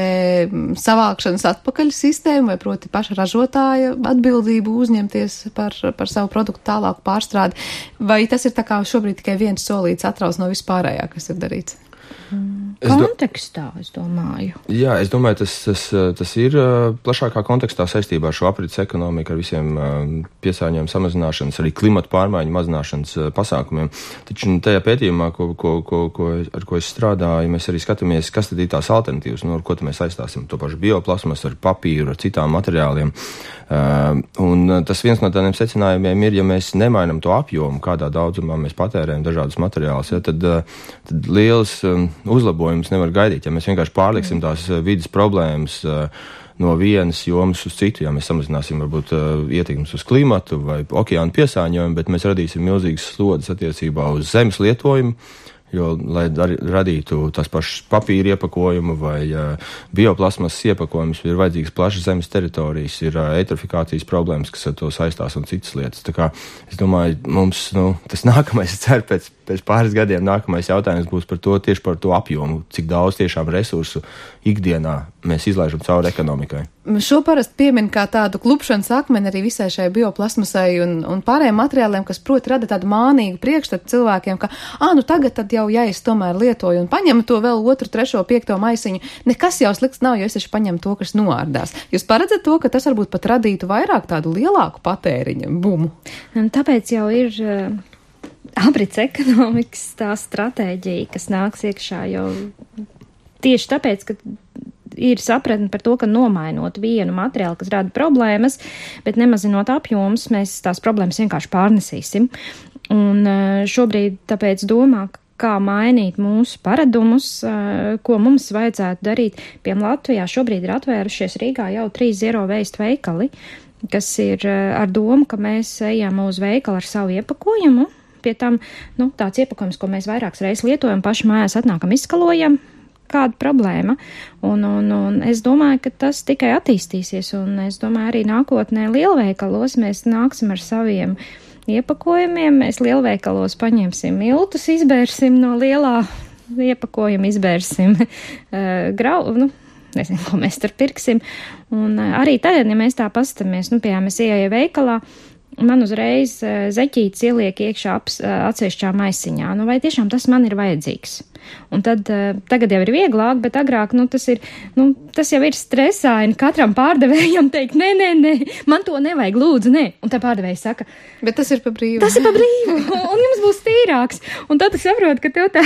savākšanas atpakaļ sistēmu, vai proti paša ražotāja atbildību uzņemties par, par savu produktu tālāku pārstrādi. Vai tas ir tā kā šobrīd tikai viens solīts atrauc no vispārējā, kas ir darīts? Es kontekstā, es domāju. Jā, es domāju, tas, tas, tas ir plašākā kontekstā saistībā ar šo aprits ekonomiku, ar visiem piesārņojumu samazināšanas, arī klimata pārmaiņu mazināšanas pasākumiem. Taču tajā pētījumā, ko, ko, ko, ko, ar ko es strādāju, mēs arī skatāmies, kas tad ir tās alternatīvas, no ar ko mēs aizstāsim to pašu bioplasmas, ar papīru, ar citām materiāliem. Uh, un tas viens no tādiem secinājumiem ir, ja mēs nemainam to apjomu, kādā daudzumā mēs patērējam dažādus materiālus, ja, tad, tad liels um, uzlabojums nevar gaidīt. Ja mēs vienkārši pārliksim tās vidas problēmas uh, no vienas jomas uz citu, ja mēs samazināsim varbūt uh, ietekmes uz klimatu vai okeānu piesāņojumu, bet mēs radīsim milzīgas slodzes attiecībā uz zemes lietojumu, jo, lai dar, radītu tās pašas papīra iepakojumu vai uh, bioplasmasas iepakojumus, ir vajadzīgas plašas zemes teritorijas, ir uh, eitrofikācijas problēmas, kas ar to saistās un citas lietas. Tā kā es domāju, mums, nu, tas nākamais, es ceru, pēc, pēc pāris gadiem nākamais jautājums būs par to, tieši par to apjomu, cik daudz tiešām resursu ikdienā mēs izlaižam cauri ekonomikai. Šo parasti piemin kā tādu klupšanas akmeni arī visai šai bioplasmasai un, un pārējiem materiāliem, kas proti rada tādu mānīgu priekšstatu cilvēkiem, ka, ā, nu tagad tad jau, ja es tomēr lietoju un paņemu to vēl otru, trešo, piekto maisiņu, nekas jau slikts nav, jo es taču paņemu to, kas noārdās. Jūs paredzat to, ka tas varbūt pat radītu vairāk tādu lielāku patēriņa bumu? Tāpēc jau ir uh, aprits ekonomikas tā stratēģija, kas nāks iekšā jau tieši tāpēc, ka ir sapratni par to, ka nomainot vienu materiālu, kas rada problēmas, bet nemazinot apjomus, mēs tās problēmas vienkārši pārnesīsim. Un šobrīd tāpēc domā, kā mainīt mūsu paradumus, ko mums vajadzētu darīt. Piemēram, Latvijā šobrīd ir atvērušies Rīgā jau trīs zero waste veikali, kas ir ar domu, ka mēs ejam uz veikalu ar savu iepakojumu. Pie tam, nu, tāds iepakojums, ko mēs vairākas reizes lietojam, paši mājās atnākam, izskalojam. Kāda problēma, un, un, un es domāju, ka tas tikai attīstīsies, un es domāju, arī nākotnē lielveikalos mēs nāksim ar saviem iepakojumiem, mēs lielveikalos paņemsim miltus, izbērsim no lielā iepakojuma, izbērsim uh, grau, nu, nezinu, ko mēs tur pirksim, un uh, arī tagad, ja mēs tā pastamies, nu, piemēram, es ieeju veikalā, man uzreiz uh, zeķītes ieliek iekšā ap, uh, atsevišķā maisiņā, nu, vai tiešām tas man ir vajadzīgs? Un tad uh, tagad jau ir vieglāk, bet agrāk, nu, tas ir, nu, tas jau ir stresaini katram pārdevējam teikt, nē, nē, nē, man to nevajag, lūdzu, nē. Un tā pārdevēja saka, bet tas ir pa brīvu. Tas ir pa brīvu, un jums būs tīrāks. Un tad tu saproti, ka tev tā,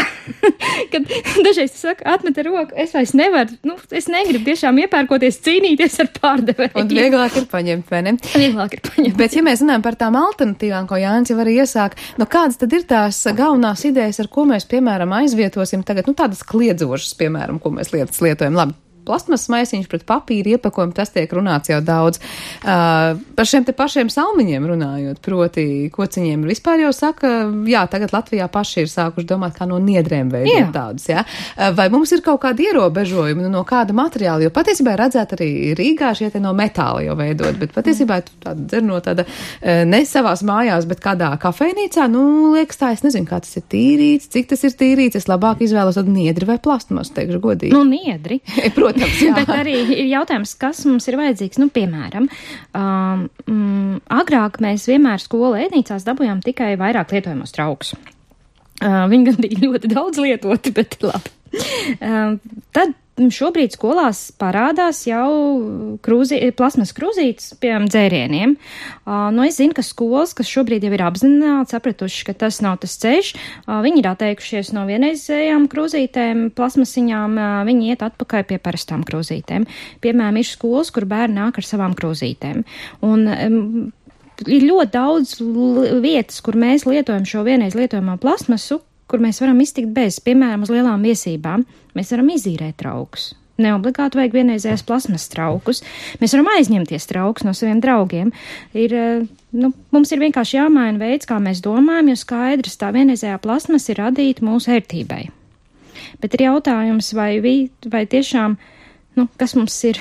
kad dažreiz tu saka, atmet ar roku, es vairs nevaru, nu, es negribu tiešām iepērkoties cīnīties ar pārdevēju. Un vieglāk ir paņemt, vai ne? Vieglāk ir paņemt. Bet, ja mēs runājam par tām alternatīvām, ko Jānis jau arī iesāk, nu, kādas tad ir tās galvenās idejas, ar ko mēs, piemēram, aizvietosim tagad, nu, tādas kliedzošas, piemēram, ko mēs lietas lietojam. Labi, plasmas maisiņš pret papīra iepakojumu, tas tiek runāts jau daudz. Uh, par šiem te pašiem salmiņiem runājot, proti kociņiem vispār jau saka, jā, tagad Latvijā paši ir sākuši domāt, kā no niedrēm veidot tādus, jā. Uh, vai mums ir kaut kādi ierobežojumi, nu, no kāda materiāla, jo patiesībā redzēt arī Rīgā šie te no metāla jau veidot, bet patiesībā tu tāda dzer no tāda uh, ne savās mājās, bet kādā kafejnīcā, nu, liekas tā, es nezinu, kā tas ir tīrīts, cik tas ir tīrīts, es labāk izvēlos tādu niedri vai plastmasu, teikšu godīgi. Nu, niedri. Protams. Bet arī ir jautājums, kas mums ir vajadzīgs. Nu, piemēram, um, um, agrāk mēs vienmēr skolu ēdnīcās dabūjām tikai vairāk lietojamos traukus. Uh, viņi gan bija ļoti daudz lietoti, bet labi. Uh, tad šobrīd skolās parādās jau krūzi, plasmas krūzītes, piemēram, dzērieniem. Uh, nu, es zinu, ka skolas, kas šobrīd jau ir apzināti, sapratuši, ka tas nav tas ceļš, uh, viņi ir atteikušies no vienreizējām krūzītēm, plasmasiņām, uh, viņi iet atpakaļ pie parastām krūzītēm. Piemēram, ir skolas, kur bērni nāk ar savām krūzītēm. Un, um, ir ļoti daudz vietas, kur mēs lietojam šo vienreiz lietojamo plasmasu, kur mēs varam iztikt bez, piemēram, uz lielām viesībām. Mēs varam izīrēt traukus. Neobligāti vajag vienreizējās plasmas traukus. Mēs varam aizņemties traukus no saviem draugiem. Ir, nu, mums ir vienkārši jāmaina veids, kā mēs domājam, jo skaidrs tā vienreizējā plasmas ir radīta mūsu ērtībai. Bet ir jautājums, vai, vi, vai tiešām, nu, kas mums ir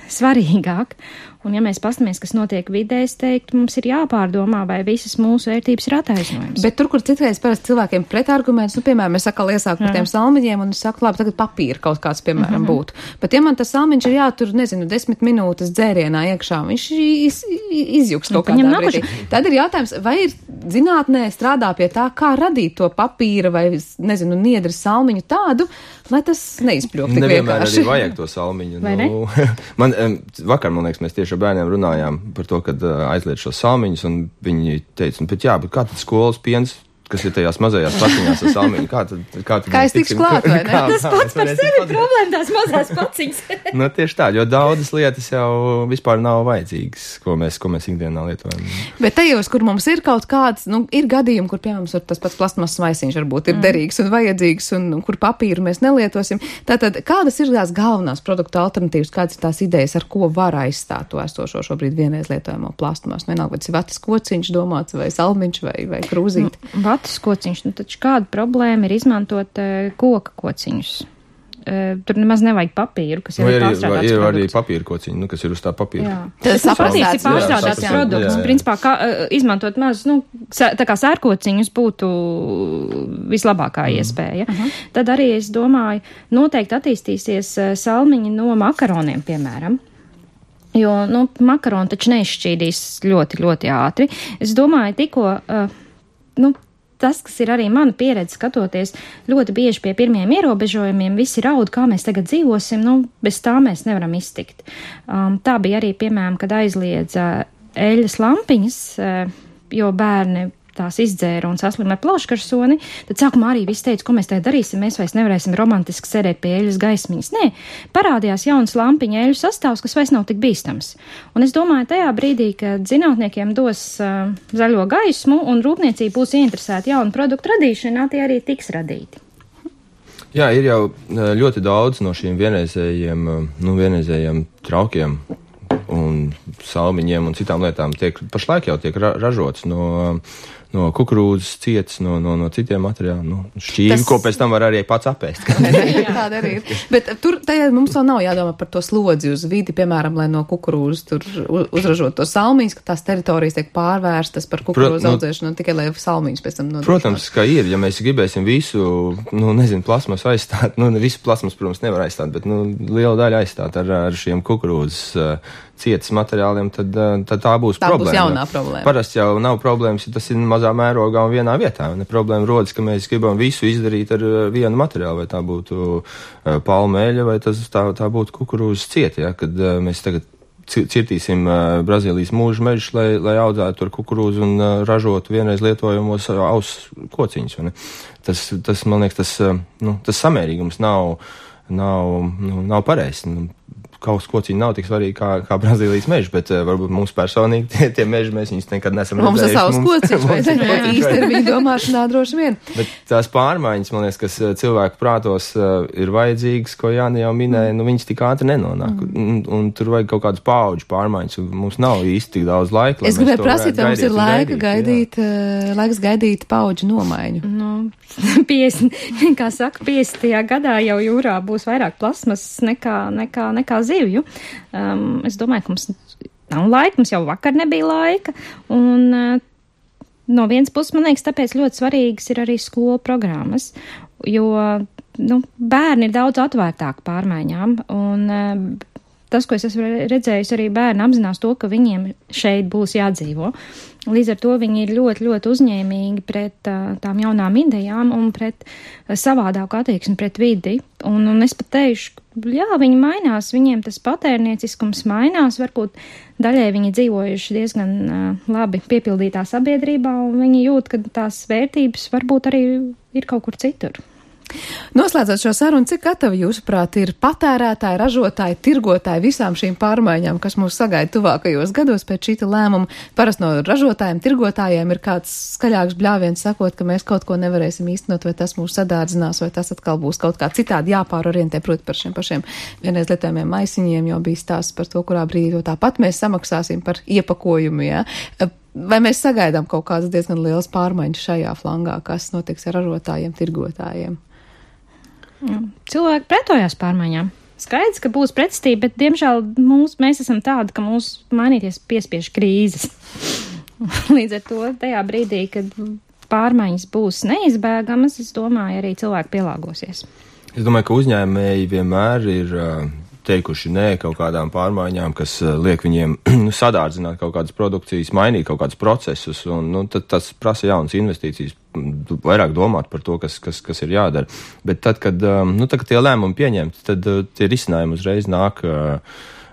svarīgāk. Un ja mēs pastamies, kas notiek vidē, es teiktu, mums ir jāpārdomā, vai visas mūsu vērtības ir attaisnojums. Bet tur, kur citreiz parasti cilvēkiem pretarguments, nu, piemēram, es saku, iesāku par tiem salmiņiem, un es saku, labi, tagad papīra kaut kāds, piemēram, mm-hmm. būtu. Bet ja man tas salmiņš ir jātur, nezinu, desmit minūtes dzērienā iekšā, viņš iz, izjuks kaut kādā brīdī. Tad ir jautājums, vai ir zinātnē strādā pie tā, kā radīt to papīra vai, nezinu, niedri salmiņu tādu, lai tas neizpļūk tik vienkārši. Nevienmēr arī vajag to salmiņu. Nu, man, vakar, man liekas, mēs tieši ar bērniem runājām par to, kad aizliet šos salmiņus, un viņi teica, bet jā, bet kā tad skolas piens, kas ir tajās mazajās paciņās ar salmiņu, kā tad, kā tad kā es tikšu klāt, vai ne? Tas pats par sevi problēma, tās mazās paciņas. Nu, tieši tā, jo daudzas lietas jau vispār nav vajadzīgas, ko mēs, ko mēs ikdienā lietojam. Bet tajos, kur mums ir kaut kāds, nu, ir gadījumi, kur, piemēram, tas pats plastmasas maisiņš varbūt ir mm. derīgs un vajadzīgs, un, un kur papīru mēs nelietosim. Tātad, kādas ir tās galvenās produktu alternatīvas, kādas ir tās idejas, ar ko var aizstāt to esošo šobrīd vienreiz lietojamo plastmasu? Vienalga, vai tas ir vatas kociņš domāts, vai salmiņš, vai, vai krūzīti? vatas kociņš, nu taču kāda problēma ir izmantot uh, koka kociņus? Uh, tur nemaz nevajag papīru, kas jau ir pārstrādāts. Ir arī papīra kociņi, nu, kas ir uz tā papīra. Jā. Tas patiesi ir pārstrādāts jā, produkts. Jā, jā. Principā, kā, uh, izmantot maz, nu, tā kā sērkociņus būtu vislabākā mm. iespēja. Uh-huh. Tad arī es domāju, noteikti attīstīsies uh, salmiņi no makaroniem, piemēram. Jo, nu, makaroni taču neizšķīdīs ļoti, ļoti ātri. Es domāju, tikko, uh, nu, tas, kas ir arī mana pieredze skatoties, ļoti bieži pie pirmiem ierobežojumiem visi raud, kā mēs tagad dzīvosim, nu, bez tā mēs nevaram iztikt. Um, tā bija arī, piemēram, kad aizliedza eļas lampiņas, uh, jo bērni tās izdzēra un saslima ar plauškarsoni, tad sākumā arī viss teica, ko mēs te darīsim, mēs vairs nevarēsim romantiski sēdēt pie eļas gaismiņas. Nē, parādījās jauns lampiņa eļu sastāvs, kas vairs nav tik bīstams. Un es domāju, tajā brīdī, kad zinātniekiem dos uh, zaļo gaismu un rūpniecība būs ieinteresēta jaunu produktu radīšanā, tie arī tiks radīti. Jā, ir jau ļoti daudz no šīm vienreizējiem, nu, vienreizējiem traukiem un salmiņiem un citām lietām tiek, pašlaik jau tiek ra- ražots no no kukurūzas ciets, no, no, no citiem materiāliem, nu, šķīvi, tas... ko pēc tam var arī pats apēst. Tāda arī ir. Bet tur tajā mums vēl nav jādomā par to slodzi uz vidi, piemēram, lai no kukurūzas tur uzražot to salmiņus, ka tās teritorijas tiek pārvērstas par kukurūzu Prot, audzēšanu, no, tikai lai salmiņus pēc tam nodrošināt. Protams, ka ir, ja mēs gribēsim visu, nu, nezinu, plasmas aizstāt, nu, visu plasmas, protams, nevar aizstāt, bet, nu, liela daļa aizstāt ar, ar šiem kukurūzas uh, cietas materiāliem, tad, tad tā būs tā problēma. Tā būs jaunā problēma. Parasti jau nav problēmas, ja tas ir mazā mērogā un vienā vietā. Ne problēma rodas, ka mēs gribam visu izdarīt ar vienu materiālu, vai tā būtu uh, palmeļa, vai tas, tā, tā būtu kukurūzas cieta, ja, kad uh, mēs tagad cirtīsim uh, Brazīlijas mūža mežus, lai, lai audzētu tur kukurūzu un uh, ražotu vienreiz lietojamos uh, aus kociņus. Tas, tas, man liekas, tas, uh, nu, tas samērīgums nav, nav, nu, nav pareizs. Nu, Kaus kociņi nav tik svarīgi kā, kā Brazīlijas meži, bet uh, varbūt mums personīgi tie, tie meži mēs viņus nekad nesam mums redzējuši. Mums ir savs kociņš, vai ne? Īstermiņa domāšanā droši vien. Bet tās pārmaiņas, man liekas, kas cilvēku prātos uh, ir vajadzīgas, ko Jāni jau minēja, nu viņas tik ātri nenonāk. Mm. Un, un tur vajag kaut kādas paudžu pārmaiņas, un mums nav īsti tik daudz laika. Es gribēju prasīt, vai mums ir laika gaidīt, uh, laiks gaidīt paudžu nomaiņu. Nu, piecdesmit, kā saka, piecdesmitajā gadā jau jūrā būs vairāk plasmas nekā, nekā, nekā zivju. Um, es domāju, ka mums nav laika, mums jau vakar nebija laika, un uh, no vienas puses, man liekas, tāpēc ļoti svarīgas ir arī skolu programmas, jo, nu, bērni ir daudz atvērtāki pārmaiņām, un uh, tas, ko es esmu redzējusi, arī bērni apzinās to, ka viņiem šeit būs jādzīvo. Līdz ar to viņi ir ļoti, ļoti uzņēmīgi pret uh, tām jaunām idejām un pret uh, savādāku attieksmi pret vidi. Un, un es pat teikšu, jā, viņi mainās, viņiem tas patērnieciskums mainās, varbūt daļai viņi dzīvojuši diezgan uh, labi piepildītā sabiedrībā, un viņi jūt, ka tās vērtības varbūt arī ir kaut kur citur. Noslēdzot šo sarunu, cik gatavi jūsuprāt ir patērētāji, ražotāji, tirgotāji visām šīm pārmaiņām, kas mūs sagaida tuvākajos gados pēc šīta lēmuma? Parasti no ražotājiem, tirgotājiem ir kāds skaļāks bļāviens sakot, ka mēs kaut ko nevarēsim īstenot, vai tas mūs sadārdzinās, vai tas atkal būs kaut kā citādi jāpārorientē, proti par šiem pašiem vienreiz lietojamiem maisiņiem, jo bija stāsts par to, kurā brīdī to tāpat mēs samaksāsim par iepakojumu, jā. Vai mēs sagaidām kaut kādas diezgan lielas pārmaiņas šajā flangā, kas notiks ar ražotājiem, tirgotājiem? Cilvēki pretojās pārmaiņām. Skaidrs, ka būs pretestība, bet, diemžēl, mūs, mēs esam tādi, ka mūs mainīties piespiež krīzes. Līdz ar to tajā brīdī, kad pārmaiņas būs neizbēgamas, es domāju, arī cilvēki pielāgosies. Es domāju, ka uzņēmēji vienmēr ir teikuši nē kaut kādām pārmaiņām, kas liek viņiem sadārdzināt kaut kādas produkcijas, mainīt kaut kādus procesus, un nu, tad tas prasa jaunas investīcijas, vairāk domāt par to, kas, kas, kas ir jādara. Bet tad, kad, nu, tad, kad tie lēmumi pieņemti, tad tie risinājumi uzreiz nāk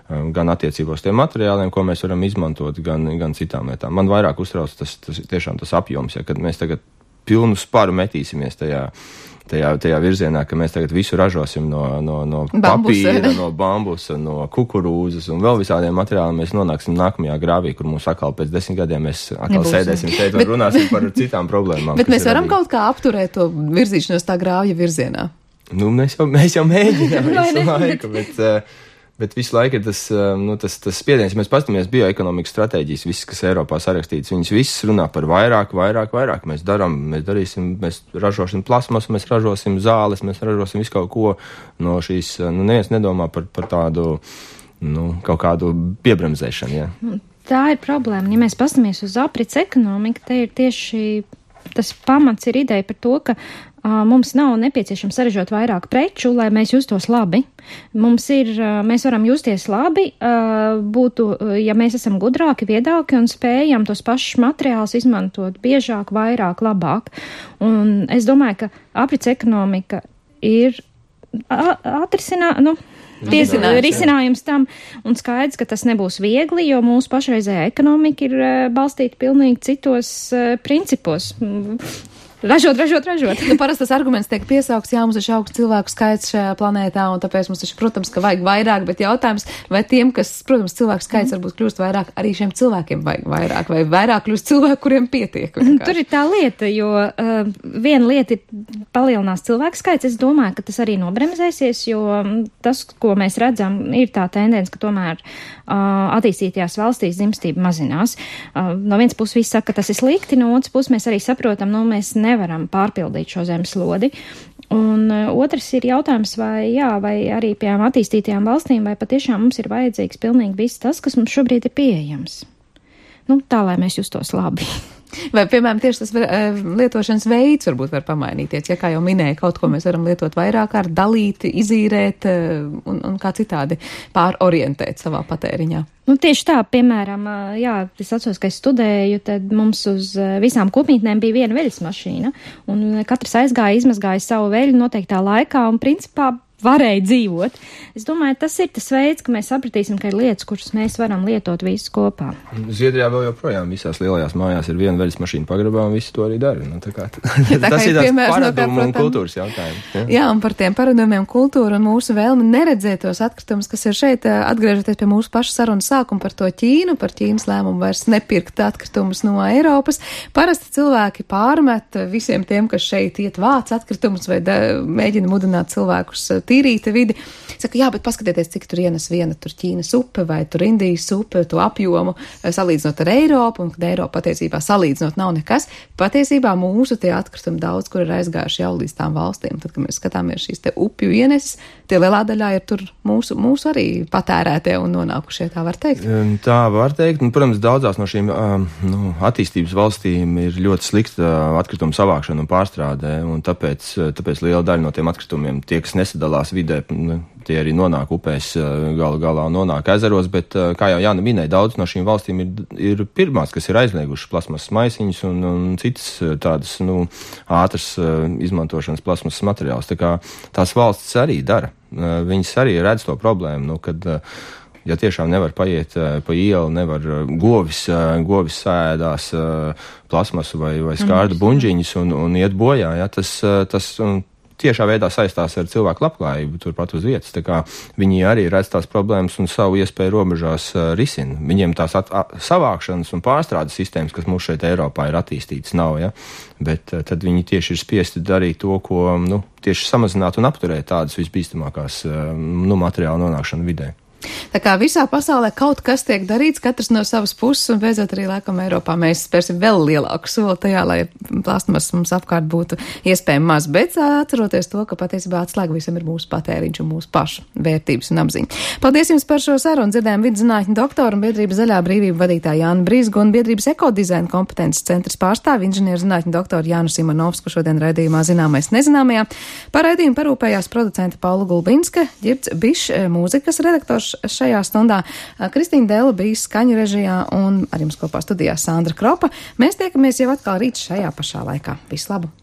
gan attiecībos tiem materiāliem, ko mēs varam izmantot, gan, gan citām lietām. Man vairāk uztrauc tas, tas tiešām tas apjoms, ja, kad mēs tagad pilnu sparu metīsimies tajā Tajā, tajā virzienā, ka mēs tagad visu ražosim no, no, no papīra, no bambusa, no kukurūzas un vēl visādiem materiāliem, mēs nonāksim nākamajā grāvī, kur mums atkal pēc desmit gadiem mēs atkal Nebūs, sēdēsim šeit un bet, runāsim par citām problēmām. Bet mēs varam kaut kā apturēt to virzīšanos tā grāvja virzienā? Nu, mēs jau, mēs jau mēģinām visu laiku, bet... Uh, Bet visu laiku ir tas, nu, tas, tas spiediens, ja mēs paskatāmies bioekonomikas stratēģijas, visas, kas Eiropā sarakstītas, viņas visas runā par vairāk, vairāk, vairāk. Mēs darām, mēs darīsim, mēs ražosim plasmasu, mēs ražosim zāles, mēs ražosim visu kaut ko no šīs, nu, neviens nedomā par, par tādu, nu, kaut kādu piebremzēšanu, jā. Tā ir problēma. Ja mēs paskatāmies uz aprits ekonomiku, te ir tieši tas pamats ir ideja par to, ka mums nav nepieciešams saražot vairāk preču, lai mēs justos labi. Mums ir, mēs varam justies labi, būtu, ja mēs esam gudrāki, viedāki un spējam tos pašus materiālus izmantot biežāk, vairāk, labāk. Un es domāju, ka aprits ekonomika ir atrisinā, nu, Risinājums, risinājums tam, un skaidrs, ka tas nebūs viegli, jo mūsu pašreizējā ekonomika ir balstīta pilnīgi citos uh, principos. Ražot, ražot, ražot. Nu, parasti tas arguments tiek piesaukts, jā, mums ir augsts cilvēku skaits šajā planētā, un tāpēc mums taču, protams, ka vajag vairāk, bet jautājums, vai tiem, kas, protams, cilvēku skaits mm. varbūt kļūst vairāk, arī šiem cilvēkiem vajag vairāk, vai vairāk kļūst cilvēku, kuriem pietiek. Vienkārši. Tur ir tā lieta, jo uh, viena lieta ir palielinās cilvēku skaits, es domāju, ka tas arī nobremzēsies, jo tas, ko mēs redzam, ir tā tendence, ka tomēr uh, attīstītajās valstīs dzimstība mazinās. Uh, no vienas puses viss saka, ka tas ir slikti, no otras puses mēs arī saprotam, nu, mēs nevaram pārpildīt šo zemeslodi. Un uh, otrs ir jautājums, vai, jā, vai arī pie attīstītajām valstīm, vai patiešām mums ir vajadzīgs pilnīgi viss tas, kas mums šobrīd ir pieejams. Nu, tā, lai mēs justos labi. Vai, piemēram, tieši tas var, lietošanas veids varbūt var pamainīties, ja kā jau minēja, kaut ko mēs varam lietot vairāk kārt, dalīt, izīrēt un, un kā citādi pārorientēt savā patēriņā. Nu, tieši tā, piemēram, jā, es atceros, ka es studēju, tad mums uz visām kopmītnēm bija viena veļas mašīna, un katrs aizgāja, izmazgāja savu veļu noteiktā laikā, un principā varēja dzīvot. Es domāju, tas ir tas veids, ka mēs sapratīsim, ka ir lietas, kuras mēs varam lietot visu kopā. Zviedrijā vēl joprojām visās lielajās mājās ir viena veļas mašīna pagrabā, un visi to arī dara. Nu, tā kā, ja, tā tas ir tāds paradumu no un kultūras jautājums. Ja? Jā, un par tiem paradumiem kultūru un mūsu vēlmi neredzēt tos atkritumus, kas ir šeit, atgriežoties pie mūsu paša sarunas sākuma par to Ķīnu, par Ķīnas lēmumu vairs nepirkt atkritumus no Eiropas. Parasti cilvēki pārmet visiem tiem, kas šeit iet vāc atkritumus vai da, mēģina mudināt cilvēkus tīrīta vidi. Saka, jā, bet paskatieties, cik tur ienes viena tur Ķīnas upe vai tur Indijas upe, to apjomu, salīdzinot ar Eiropu, un kad Eiropa patiesībā salīdzinot nav nekas. Patiesībā mūsu tie atkritumi daudz, kur ir aizgājuši jau līdz tām valstīm. Tad, kad mēs skatāmies šīs te upju ieneses, tie lielā daļā ir tur mūsu, mūsu arī patērētie un nonākušie, tā var teikt. Tā var teikt, un, protams, daudzās no šīm nu, attīstības valstīm ir ļoti slikta atkritumu savākšana un pārstrādē, un tāpēc, tāpēc liela daļa no tiem atkritumiem tie, kas nesadalās vidē, tie arī nonāk upēs, galu galā nonāk ezeros, bet, kā jau Jāna minēja, daudz no šīm valstīm ir, ir pirmās, kas ir aizliegušas plasmasas maisiņus un, un citas tādas, nu, ātras izmantošanas plasmasas materiālus. Tā kā tās valstis arī dara. Viņas arī redz to problēmu, nu, kad, ja tiešām nevar paiet pa ielu, nevar govis, govis sēdās plasmasu vai, vai skārdu buņģiņus un, un iet bojā, ja, tas, tas un, tiešā veidā saistās ar cilvēku labklājību turpat uz vietas. Tā kā viņi arī redz tās problēmas un savu iespēju robežās uh, risina. Viņiem tās at, at, savākšanas un pārstrādes sistēmas, kas mums šeit Eiropā ir attīstītas, nav, ja? Bet uh, tad viņi tieši ir spiesti darīt to, ko, nu, tieši samazināt un apturēt tādas visbīstamākās uh, nu, materiālu nonākšanu vidē. Tā kā visā pasaulē kaut kas tiek darīts, katrs no savas puses, un beidzot arī laikam Eiropā mēs spērsim vēl lielāku soli tajā, lai plastmas mums apkārt būtu iespējami maz, bet atceroties to, ka patiesībā atslēga visam ir mūsu patēriņš un mūsu pašu vērtības un apziņa. Paldies jums par šo sarunu, dzirdējām vidzinātņu doktoru un biedrības Zaļā brīvība vadītāju Jānu Brīzgu un biedrības ekodizaina kompetences centras pārstāvi inženieru zinātņu doktoru Jānu Simonovsku šodien raidījumā Zināmais nezināmajā. Par raidījumu parūpējās producente Paula Gulbinska, Ģirds Bišs, mūzikas redaktors šajā stundā, Kristīna Dēla bija skaņu režijā un ar jums kopā studijā Sandra Kropa. Mēs tiekamies jau atkal rīt šajā pašā laikā. Visu labu!